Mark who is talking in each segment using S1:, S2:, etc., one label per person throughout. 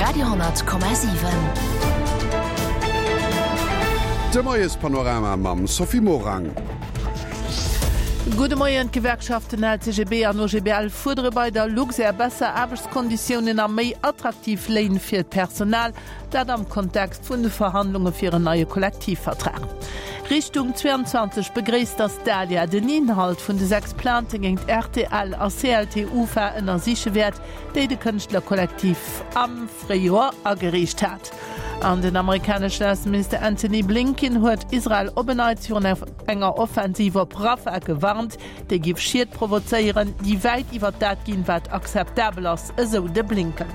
S1: Radio 10,7.
S2: De Moiespanorama mam Sophie Morang.
S3: Gudde Moien, D'Gewerkschaften LCGB an OGBL fuerdere bei der Luxair besser Aarbechtskonditiounen a méi attraktiv Léin fir d'Personal. Dat am Kontext vun de Verhandlunge fir en neie Kollektivvertrag. Richtung 22 begréisst, datt d'ALIA den Inhalt vun de 6 Plaintë géint rtl a CLT-UFA ënnersiche wäert, déi de Kënschtlerkollektiv am Fréijoer agereecht hat. An den amerikaneschen Ausseminister Antony Blinken huet Israel op en Neits virun enger Offensiv op Rafah gewarnt, déi géif Schied provozéieren, déi wäit iwwer dat ginn, wat akzeptabel ass, esou de Blinken.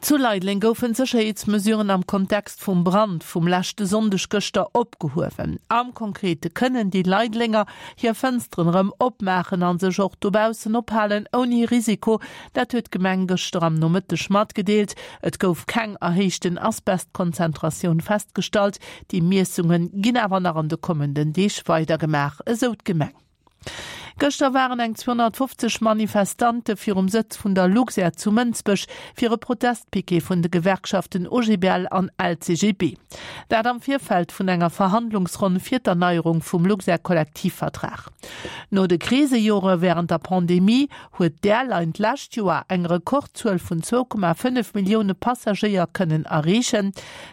S3: Zu Leideleng goufen d'Sécherheetsmesuren am Kontext vum Brand vum leschte Sonndeg gëschter opgehuewen. Am Konkrete kënnen déi Leidelenger hir Fënsteren erëm opmaachen a sech och dobaussen ophalen ouni Risiko. Dat huet d'Gemeng gëschter am Nomëtteg matgedeelt. Et gouf keng erhéichten Asbestkonzentratioun festgestallt. Déi Miessunge ginn awer nach an de kommenden Deeg weidergemaach, esou d'Gemeng. Gëschter waren eng 250 Manifestante virum Sëtz vun der Luxair zu Mënsbech fir e Protestpiquet vun de Gewerkschaften OGBL an LCGB. Dat am Virfeld vun enger Verhandlungsronn fir d'Erneierung vum Luxair-Kollektivvertrag. No de Krisejore wärend der Pandemie huet d'Airline d'lescht Joer eng Rekordzuel vun 2,5 Millioune Passagéier kënnen erreechen.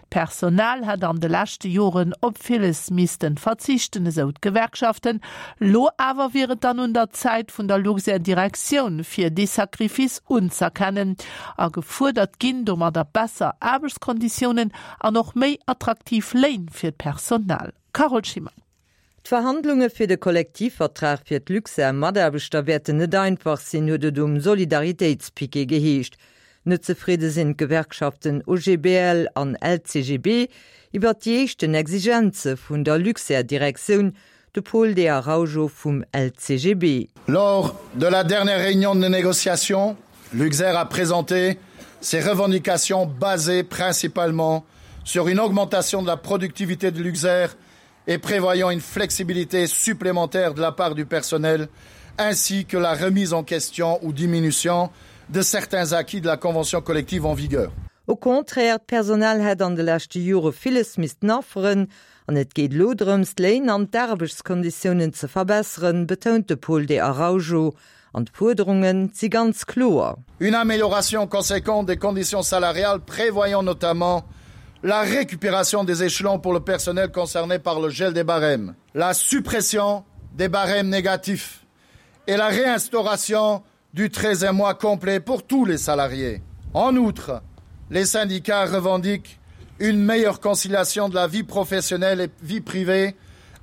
S3: D'Personal hätt an de leschte Joren op villes missten verzichten, esou d'Gewerkschaften. Lo awer wier et dann un der Zäit vun der Luxair-Direktioun, fir dee Sacrifice unz'erkennen. A gefuerdert ginn domadder besser Aarbechtskonditiounen an och méi attraktiv Léin fir d'Personal. Carole Schimmer.
S4: D'Verhandlunge fir de Kollektivvertrag fir d'Luxair-Mataarbechter wäerten net einfach sinn, huet et um Solidaritéitspiquet geheescht. Net zefridde sinn d'Gewerkschaften OGBL an LCGB iwwert déi éischten Exigenze vun der Luxair-Direktioun, de Paul De Araujo vum LCGB.
S5: Lors de la dernière réunion de négociation, Luxair a présenté ses revendications basées principalement sur une augmentation de la productivité de Luxair et prévoyant une flexibilité supplémentaire de la part du personnel ainsi que la remise en question ou diminution de certains acquis de la convention collective en vigueur.
S4: Au contraire, d'Personal hätt an de leschte Jore villes missten afferen an et geet elo drëms, d'Léin an d'Aarbechtskonditiounen ze verbesseren, betount de Paul De Araujo. An d'Fuerderunge si ganz kloer.
S5: Une amélioration conséquente des conditions salariales prévoyant notamment la récupération des échelons pour le personnel concerné par le gel des barèmes, la suppression des barèmes négatifs et la réinstauration du 13e mois complet pour tous les salariés. En outre, les syndicats revendiquent une meilleure conciliation de la vie professionnelle et vie privée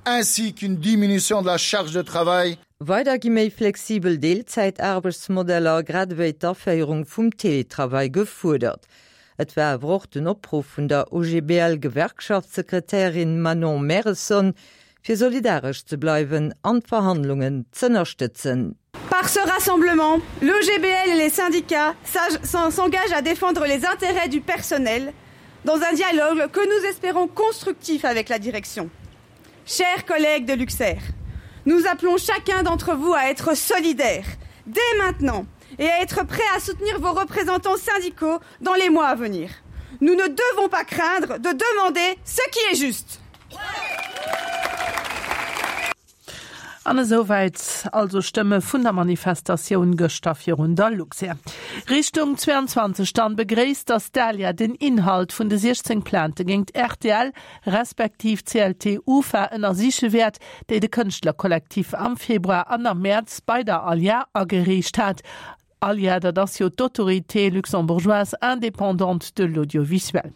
S5: ainsi qu'une diminution de la charge de travail
S4: Weider gi méi flexibel Deelzäitaarbechtsmodeller, grad ewéi d'Aféierung vum Teletravail gefuerdert. Et war awer och den Opruff vun der OGBL-Gewerkschaftssekretärin Manon Mehresson, fir solidaresch ze bleiwen an d'Verhandlungen z'ënnerstëtzen.
S6: Par ce rassemblement, l'OGBL et les syndicats s'engagent à défendre les intérêts du personnel dans un dialogue que nous espérons constructif avec la direction. Chers collègues de Luxair, nous appelons chacun d'entre vous à être solidaire dès maintenant et à être prêt à soutenir vos représentants syndicaux dans les mois à venir. Nous ne devons pas craindre de demander ce qui est juste.
S3: An esouwäit also Stëmme vun der Manifestatioun gëschter virun der Luxair. Richtung 22 dann begréisst, datt d'ALIA den Inhalt vun de 16 Plainte géingt rtl respektiv CLT UFA ënnersiche wäert, déi de Kënschtlerkollektiv am Februar an am Mäerz bei der ALIA agereecht hat. ALIA, dat ass jo d'Autorité luxembourgeoise indépendante de l'audiovisuel.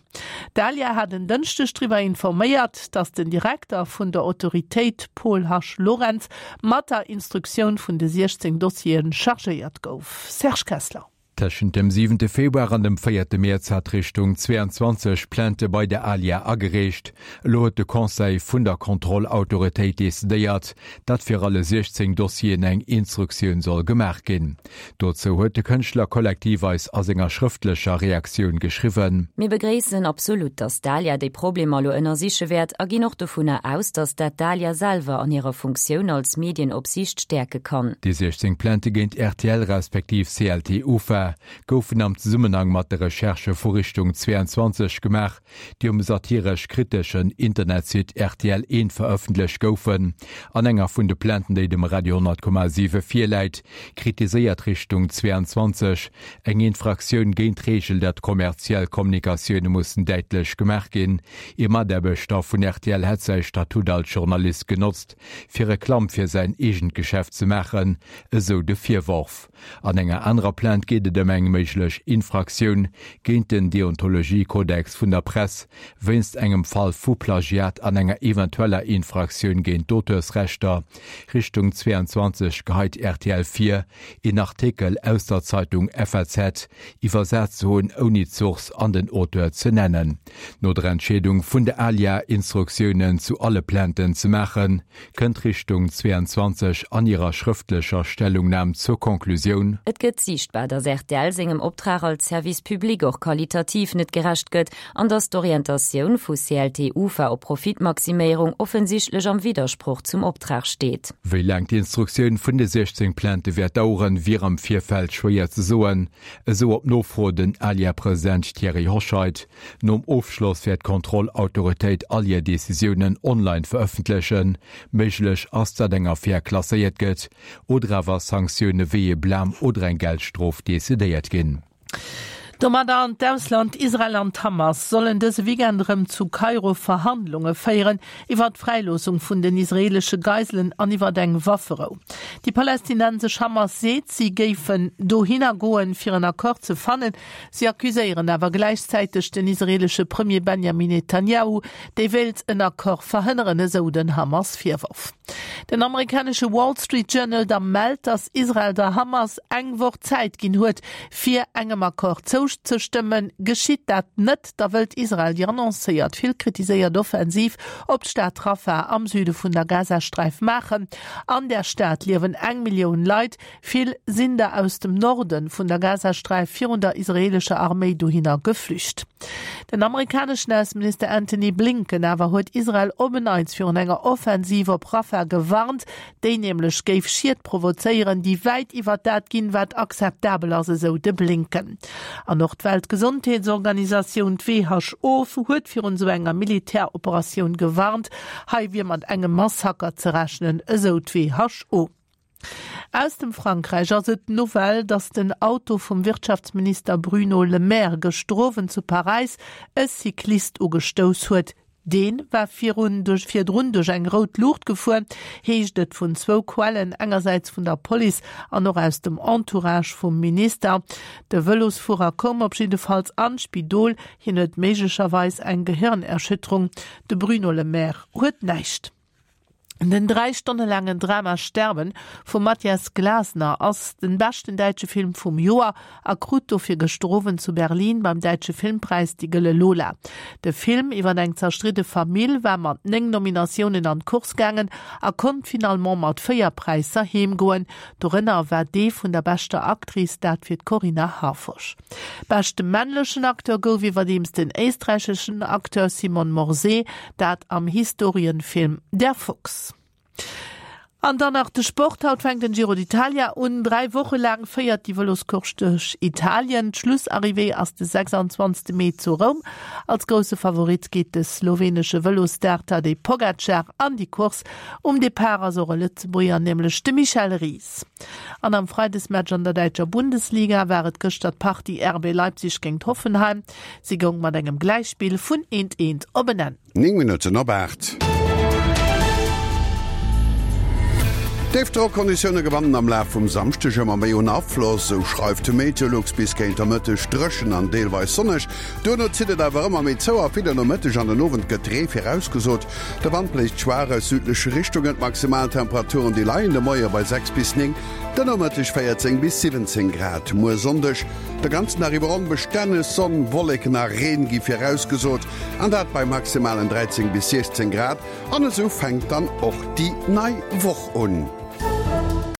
S3: D'ALIA hat en Dënschdeg driwwer informéiert, datt den Direkter vun der Autoritéit Paul Hasch Lorentz mat der Instruktioun vun de 16 Dossiere chargéiert gouf. Serge Kessler.
S7: Tëschent dem siwente Februar an dem véierte Mäerz hat Richtung 22 Plainte bei der ALIA agereecht. Elo huet de Conseil vun der Kontrollautoritéit decidéiert, datt fir alle 16 Dossieren eng Instruktioun soll gemaach ginn. Dozou huet de Kënschtlerkollektiv eis a senger schrëftlecher Reaktioun geschriwwen.
S8: Mir begréissen absolut, datt d'ALIA déi Problemer elo ënnersiche wäert a ginn och dovunner aus, datt dat d'ALIA selwer an hirer Funktioun als Medienopsiicht stäerke kann.
S7: Déi 16 Plainte géint rtl respektiv CLT-UFA. ALIA goufen am Zesummenhang mat de Recherchë vu Richtung 22 gemaach, déi um satiresch-kriteschen Internetsite rtl Eent verëffentlecht goufen. An enger vun de Plainten, déi dem Radio 10,7 virläit, kritiséiert Richtung 22 eng Infraktioun géint d'Reegel, datt kommerziell Kommunikatioune mussen däitlech gemaach ginn. Ee Mataarbechter vun rtl hätt säi Statut als Journalist genotzt, fir Reklamm fir säin eegent Geschäft ze maachen, esou de Virworf. An enger anerer Plainte geet et ëm eng méiglech Infraktioun géint den Deontologiekodex vun der Press wéinst engem Fall vu Plagiat an enger eventueller Infraktioun géint d'Auteursrechter. Richtung 22 geheit rtl vir, een Artikel aus der Zeitung FAZ iwwersat ze hunn, ouni d'Source an den Auteur ze nennen. No der Entscheedung vun der ALIA, Instruktiounen zu alle Plainten ze maachen, kënnt Richtung 22 an hirer schrëftlecher Stellungnam zur Konklusioun,
S8: Et gëtt siichtbar, datt rtl sengem Optrag als Service public och qualitativ net gerecht gëtt an datt d'Orientatioun vu CLT-UFA op Profitmaximéierung offensichtlech am Widdersproch zum Optrag steet.
S7: Wéi laang d'Instruktioun vun de 16 Plainte wäert daueren, wier am Virfeld schwéier ze soen, esou op Nofro den ALIA-President Thierry Hoscheit. Nom Ofschloss wäert d'Kontrollautoritéit all hir Decisiounen online verëffentlechen. Méiglech ass, datt eng Affär klasséiert gëtt oder awer Sanktioune wéi ee Blam oder eng Geldstrof decidéiert ginn.
S3: Domadder an d'Ausland, Israel an d'Hamas sollen dëse Weekend erëm zu Kairo Verhandlunge féieren iwwer d'Fräiloossung vun den israeelesche Geiselen an iwwer eng Wafferou. Déi palästinensesch Hamas seet, si géifen dohinner goen, fir en Accord ze fannen. Si accuséieren awer gläichzäiteg den israeelesche Premier Benjamin Netanjahu, dee wéilt en Accord verhënneren, esou den Hamas-Virworf. Den amerikanesche Wall Street Journal da mellt, datt Israel der Hamas eng Woch Zäit ginn huet, fir engem Accord zouzestëmmen. Geschitt dat net, da wëllt Israel déi annoncéiert vill kritiséiert Offensiv op d'Stad Rafah am Süde vun der Gazasträif maachen. An där Stad liewen eng Millioun Leit. Vill sinn der aus dem Norde vun der Gazasträif virun der israeelescher Arméi dohinner geflücht. Den amerikaneschen Ausseminister Antony Blinken awer huet Israel op en Neits virun enger Offensiv op Rafah gewarnt, déi nämlech géif Schied provozéieren, déi wäit iwwer dat ginn, wat akzeptabel ass, esou de Blinken. An och d'Weltgesondheetsorganisatioun, d'WHO, huet virun esou enger Militäroperatioun gewarnt. Hei wier mat engem Massaker ze rechnen, esou d'WHO. Aus dem Frankräich ass et d'Nouvelle, datt den Auto vum Wirtschaftsminister Bruno Le Maire gëschter Owend zu Paräis e Cyclist ugestouss huet. Dee war virun duerch virdrun duerch eng rout Luucht gefuer, heescht et vun zwou Quellen, engersäits vun der Police an och aus dem Entourage vum Minister. De Vëlosfuerer koum op jiddefalls an d'Spidol, hien huet méiglecherweis eng Gehirnerschütterung. De Bruno Le Maire huet näischt. Den 3 Stonne laangen Drama Sterben vum Matthias Glasner ass den beschten däitsche Film vum Joer a krut dofir gëschter Owend zu Berlin beim Däitsche Filmpräis déi Gëlle Lola. De Film iwwer eng zerstridde Famill war mat 9 Nominatiounen an d'Course gaangen a konnt finalement mat 4 Präisser heem goen. Dorënner war dee vun der beschter Actrice, dat fir d'Corinna Harfouch. Beschte männlechen Acteur gouf iwwerdeems den éisträicheschen Acteur Simon Morsé, Dat am Historienfilm Der Fuchs. An dann nach de Sport, Haut fänkt den Giro d'Italia un. 3 Woche laang féiert déi Vëloscourse duerch Italien. D'Schlussarrivée ass de 26 Mee zu Roum. Als grousse Favorit geet de slowenesche Vëlosstar Tadej Pogacar an déi Course. Um Depart ass och e Lëtzebuerger, nämlech de Michel Ries. An am Freidesmatch an der däitscher Bundesliga war et gëschter d'Partie RB Leipzig géint Hoffenheim. Si goung mat engem Gläichspill vun eent eent op en Enn.
S2: 9 Minutten op 8. Déifdrockkonditioune gewannen am Laf vum Samschdeg ëmmer méi un Afloss, esou schreift Meteolux. Bis géint der Mëtteg dréchen an deelweis sonneg, duerno zitt et awer ëmmer méi zou a fir de Nomëtteg an den Owend gëtt Ree virausgesot. De Wand bléist schwaach aus südleche Richtungen, d'Maximaltemperaturen déi leien de Moie bei 6 bis 9, de Nomëtteg 14 bis 17 Grad. Muer Sonndeg De ganzen Dag iwwer onbestänneg Sonn, Wolleken a Reen gi virausgesot, an dat bei maximalen 13 bis 16 Grad. An esou fänkt dann och déi nei Woch un.